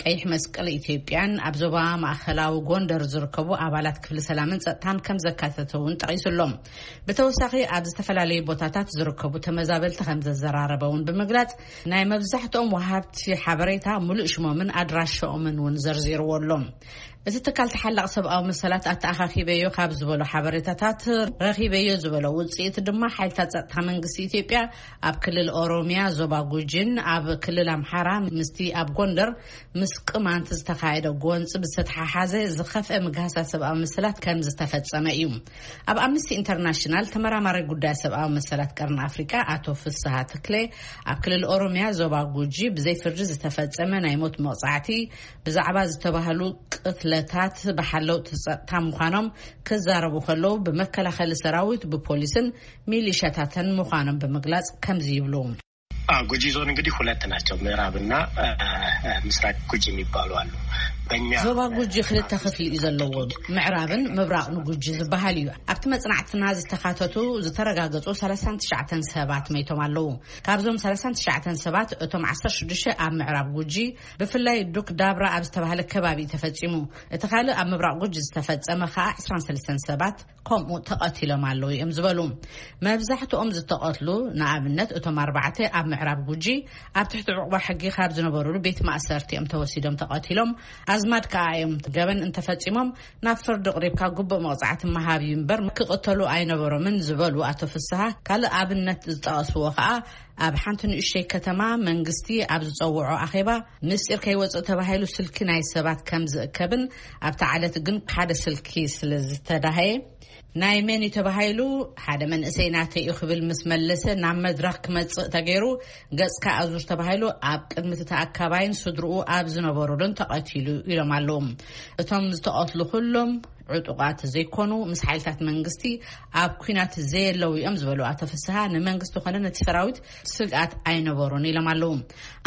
ቀይሕ መስቀል ኢትዮጵያን ኣብ ዞባ ማእከላዊ ጎንደር ዝርከቡ ኣባላት ክፍሊ ሰላምን ጸጥታን ከም ዘካተተ እውን ጠቒሱ ኣሎ። ብተወሳኺ ኣብ ዝተፈላለዩ ቦታታት ዝርከቡ ተመዛበልቲ ከም ዘዘራረበ እውን ብምግላጽ፣ ናይ መብዛሕትኦም ወሃብቲ ሓበሬታ፣ ምሉእ ሽሞምን ኣድራሻኦምን እውን ዘርዚርዎ ኣሎ። እቲ ትካል ተሓላቕ ሰብኣዊ መሰላት ኣተኣኻኺበዮ ካብ ዝበሎ ሓበሬታታት፣ ረኺበዮ ዝበሎ ውፅኢት ድማ ሓይልታት ጸጥታ መንግስቲ ኢትዮጵያ ኣብ ክልል ኦሮሚያ ዞባ ጉጂን ኣብ ክልል ኣምሓራ ምስቲ ኣብ ጎንደር ምስ ቅማንት ዝተኻየደ ጎንፂ ብዝተተሓሓዘ ዝኸፍአ ምግሃሳት ሰብኣዊ መሰላት ከም ዝተፈጸመ እዩ። ኣብ ኣምነስቲ ኢንተርናሽናል ተመራማሪ ጉዳይ ሰብኣዊ መሰላት ቀርኒ ኣፍሪቃ ኣቶ ፍስሃ ተክለ፣ ኣብ ክልል ኦሮሚያ ዞባ ጉጂ ብዘይ ፍርዲ ዝተፈጸመ ናይ ሞት መቕጻዕቲ ብዛዕባ ዝተባህሉ ቅትለታት ብሓለውቲ ጸጥታ ምዃኖም ክዛረቡ ከለዉ፣ ብመከላኸሊ ሰራዊት፣ ብፖሊስን ሚሊሻታትን ምዃኖም ብምግላጽ ከምዚ ይብሉ። ጉጂ ዞን እንግዲህ ሁለት ናቸው። ምዕራብና ምስራቅ ጉጂ የሚባሉ አሉ። በእኛ ዞባ ጉጂ ክልተ ክፍሊ እዩ ዘለዎ። ምዕራብን ምብራቕ ንጉጂ ዝበሃል እዩ። ኣብቲ መጽናዕትና ዝተካተቱ ዝተረጋገጹ ሰላሳን ትሽዓተን ሰባት መይቶም ኣለዉ። ካብዞም ሰላሳን ትሽዓተን ሰባት፣ እቶም ዓሰርተ ሽዱሽተ ኣብ ምዕራብ ጉጂ፣ ብፍላይ ዱክ ዳብራ ኣብ ዝተባህለ ከባቢ እዩ ተፈጺሙ። እቲ ካልእ ኣብ ምብራቕ ጉጂ ዝተፈጸመ ከኣ ዕስራን ሰለስተን ሰባት ከምኡ ተቐቲሎም ኣለዉ እዮም ዝበሉ። መብዛሕትኦም ዝተቐትሉ፣ ንኣብነት እቶም ኣርባዕተ ኣብ ምዕራብ ጉጂ፣ ኣብ ትሕቲ ዕቑባ ሕጊ ካብ ዝነበሩሉ ቤት ማእሰርቲ እዮም ተወሲዶም ተቐቲሎም። ኣዝማድ ከኣ እዮም ገበን እንተፈጺሞም ናብ ፍርዲ ቅሪብካ ግቡእ መቕጻዕቲ ምሃብ እዩ እምበር ክቕተሉ ኣይነበሮምን ዝበሉ ኣቶ ፍስሃ፣ ካልእ ኣብነት ዝጠቐስዎ ከኣ ኣብ ሓንቲ ንእሽተይ ከተማ መንግስቲ ኣብ ዝጸውዖ ኣኼባ ምስጢር ከይወጽእ ተባሂሉ ስልኪ ናይ ሰባት ከም ዝእከብን ኣብቲ ዓለት ግን ሓደ ስልኪ ስለ ዝተዳሃየ ናይ መን እዩ ተባሂሉ ሓደ መንእሰይ ናተይ እዩ ክብል ምስ መለሰ ናብ መድረኽ ክመጽእ ተገይሩ ገጽካ ኣዙር ተባሂሉ ኣብ ቅድሚ እቲ ተኣካባይን ስድርኡ ኣብ ዝነበሩሉን ተቐቲሉ ኢሎም ኣለዉ። እቶም ዝተቐትሉ ኩሎም ዕጡቓት ዘይኮኑ፣ ምስ ሓይልታት መንግስቲ ኣብ ኲናት ዘየለዉ እዮም ዝበሉ ኣቶ ፍስሃ፣ ንመንግስቲ ኮነ ነቲ ሰራዊት ስግኣት ኣይነበሩን ኢሎም ኣለዉ።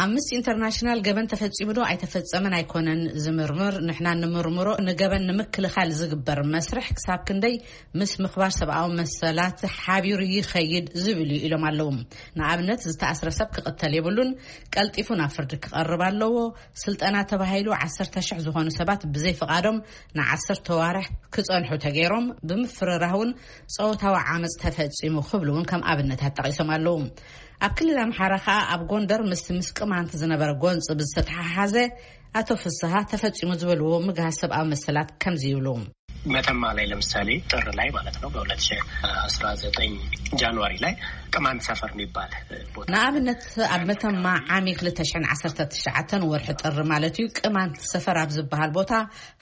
ኣምነስቲ ኢንተርናሽናል ገበን ተፈጺሙ ዶ ኣይተፈጸመን ኣይኮነን ዝምርምር፣ ንሕና ንምርምሮ ንገበን ንምክልኻል ዝግበር መስርሕ ክሳብ ክንደይ ምስ ምኽባር ሰብኣዊ መሰላት ሓቢሩ ይኸይድ ዝብል እዩ ኢሎም ኣለዉ። ንኣብነት ዝተኣስረ ሰብ ክቕተል የብሉን፣ ቀልጢፉ ናብ ፍርዲ ክቐርብ ኣለዎ። ስልጠና ተባሂሉ ዓሰርተ ሽሕ ዝኾኑ ሰባት ብዘይ ፍቓዶም ንዓሰርተ ዋርሕ ክጸንሑ ተገይሮም፣ ብምፍርራህ እውን ጾታዊ ዓመጽ ተፈጺሙ ክብሉ እውን ከም ኣብነታት ጠቒሶም ኣለዉ። ኣብ ክልል ኣምሓራ ከኣ ኣብ ጎንደር ምስቲ ምስ ቅማንት ዝነበረ ጎንፂ ብዝተተሓሓዘ ኣቶ ፍስሃ ተፈጺሙ ዝበልዎ ምግሃስ ሰብኣዊ መሰላት ከምዚ ይብሉ። መተማ ላይ ለምሳሌ ጥር ላይ ማለት ነው፣ በሁለት ሺህ አስራ ዘጠኝ ጃንዋሪ ላይ ቅማንት ሰፈር የሚባል ቦታ ንኣብነት ኣብ መተማ ዓሚ ክልተ ሽሕን ዓሰርተ ትሽዓተን ወርሒ ጥሪ ማለት እዩ፣ ቅማንት ሰፈር ኣብ ዝበሃል ቦታ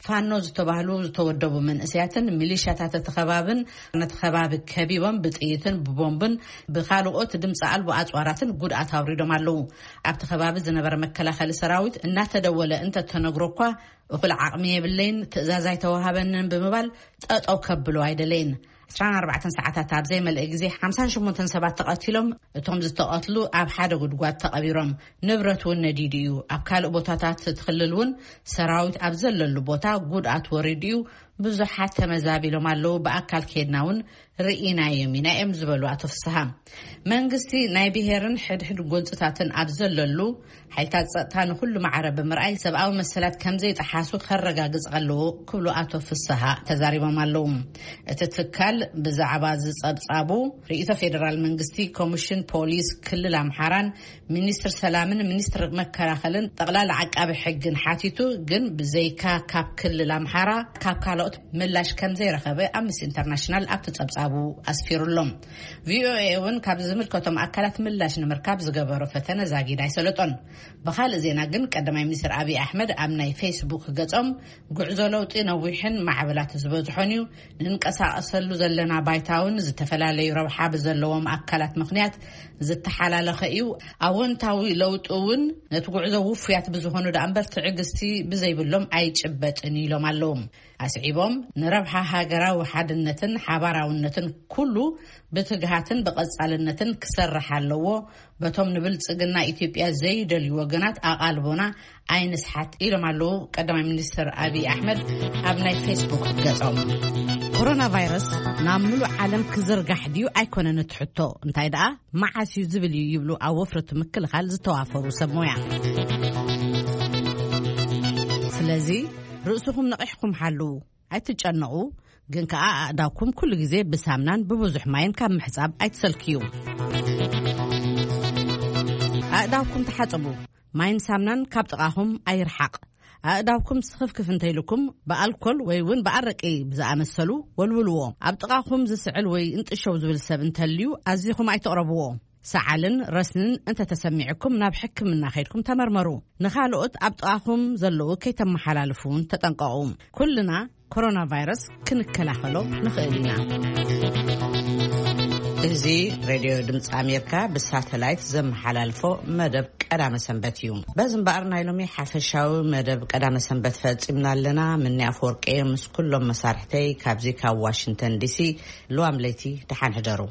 ፋኖ ዝተባህሉ ዝተወደቡ መንእሰያትን ሚሊሻታት እቲ ከባብን ነቲ ከባቢ ከቢቦም ብጥይትን ብቦምብን ብካልኦት ድምፂ ኣልቦ ኣፅዋራትን ጉድኣት ኣውሪዶም ኣለዉ። ኣብቲ ከባቢ ዝነበረ መከላኸሊ ሰራዊት እናተደወለ እንተተነግሮ እኳ እኹል ዓቕሚ የብለይን፣ ትእዛዝ ኣይተዋሃበንን ብምባል ጠጠው ከብሎ ኣይደለይን። ዕስራን ኣርባዕተን ሰዓታት ኣብ ዘይመልአ ግዜ ሓምሳን ሸሞንተን ሰባት ተቐቲሎም፣ እቶም ዝተቐትሉ ኣብ ሓደ ጉድጓድ ተቐቢሮም። ንብረት እውን ነዲዱ እዩ። ኣብ ካልእ ቦታታት እቲ ክልል እውን ሰራዊት ኣብ ዘለሉ ቦታ ጉድኣት ወሪዱ እዩ። ብዙሓት ተመዛቢሎም ኣለዉ። ብኣካል ከይድና እውን ርኢናዮም ኢና እዮም ዝበሉ ኣቶ ፍስሃ። መንግስቲ ናይ ብሄርን ሕድሕድ ጎንፅታትን ኣብ ዘለሉ ሓይልታት ጸጥታ ንኹሉ ማዕረ ብምርኣይ ሰብኣዊ መሰላት ከም ዘይጠሓሱ ከረጋግጽ ኣለዎ ክብሉ ኣቶ ፍስሃ ተዛሪቦም ኣለዉ። እቲ ትካል ብዛዕባ ዝጸብጻቡ ርእይቶ ፌደራል መንግስቲ፣ ኮሚሽን ፖሊስ ክልል ኣምሓራን ሚኒስትር ሰላምን ሚኒስትር መከላኸልን ጠቕላላ ዓቃቢ ሕግን ሓቲቱ፣ ግን ብዘይካ ካብ ክልል ኣምሓራ ካብ ካልኦት ምላሽ ከም ዘይረኸበ ኣምነስቲ ኢንተርናሽናል ኣብቲ ጸብጻቡ ኣስፊሩ ኣሎ። ቪኦኤ እውን ካብ ዝምልከቶም ኣካላት ምላሽ ንምርካብ ዝገበሮ ፈተነ ዛጊድ ኣይሰለጦን። ብኻልእ ዜና ግን ቀዳማይ ሚኒስትር ኣብይ ኣሕመድ ኣብ ናይ ፌስቡክ ገጾም ጉዕዞ ለውጢ ነዊሕን ማዕበላት ዝበዝሖን እዩ። ንንቀሳቐሰሉ ዘለና ባይታ እውን ዝተፈላለዩ ረብሓ ብዘለዎም ኣካላት ምኽንያት ዝተሓላለኸ እዩ። ኣወንታዊ ለውጢ እውን ነቲ ጉዕዞ ውፉያት ብዝኾኑ ደኣ እምበር ትዕግስቲ ብዘይብሎም ኣይጭበጥን ኢሎም ኣለዉ። ኣስዒቦም ንረብሓ ሃገራዊ ሓድነትን ሓባራውነትን ኩሉ ብትግሃትን ብቐጻልነትን ክሰርሕ ኣለዎ። በቶም ንብልጽግና ኢትዮጵያ ዘይደልዩ ወገናት ኣቓልቦና ኣይንስሓት ኢሎም ኣለዉ ቀዳማይ ሚኒስትር ኣብይ ኣሕመድ ኣብ ናይ ፌስቡክ ገጾም። ኮሮና ቫይረስ ናብ ምሉእ ዓለም ክዝርጋሕ ድዩ ኣይኮነን እቲ ሕቶ፣ እንታይ ደኣ መዓስ እዩ ዝብል እዩ ይብሉ ኣብ ወፍሪ ምክልኻል ዝተዋፈሩ ሰብ ሞያ። ስለዚ ርእስኹም ነቒሕኩም ሓልዉ። ኣይትጨነቑ፣ ግን ከኣ ኣእዳውኩም ኩሉ ግዜ ብሳምናን ብብዙሕ ማይን ካብ ምሕጻብ ኣይትሰልክዩ። ኣእዳውኩም ተሓጸቡ፣ ማይን ሳምናን ካብ ጥቓኹም ኣይርሓቕ። ኣእዳውኩም ስኽፍክፍ እንተይልኩም ብኣልኮል ወይ እውን ብኣረቂ ብዝኣመሰሉ ወልውልዎ። ኣብ ጥቓኹም ዝስዕል ወይ እንጥሸው ዝብል ሰብ እንተልዩ ኣዚኹም ኣይተቕረብዎ። ሰዓልን ረስንን እንተተሰሚዕኩም ናብ ሕክምና ከይድኩም ተመርመሩ። ንኻልኦት ኣብ ጥቓኹም ዘለዉ ከይተመሓላልፉ እውን ተጠንቀቑ። ኩልና ኮሮና ቫይረስ ክንከላኸሎ ንኽእል ኢና። እዚ ሬድዮ ድምፂ ኣሜሪካ ብሳተላይት ዘመሓላልፎ መደብ ቀዳመ ሰንበት እዩ። በዚ እምበኣር ናይ ሎሚ ሓፈሻዊ መደብ ቀዳመ ሰንበት ፈፂምና ኣለና። ምኒ ኣፈወርቂ ምስ ኩሎም መሳርሕተይ ካብዚ ካብ ዋሽንግተን ዲሲ ልዋም ለይቲ ደሓን ሕደሩ።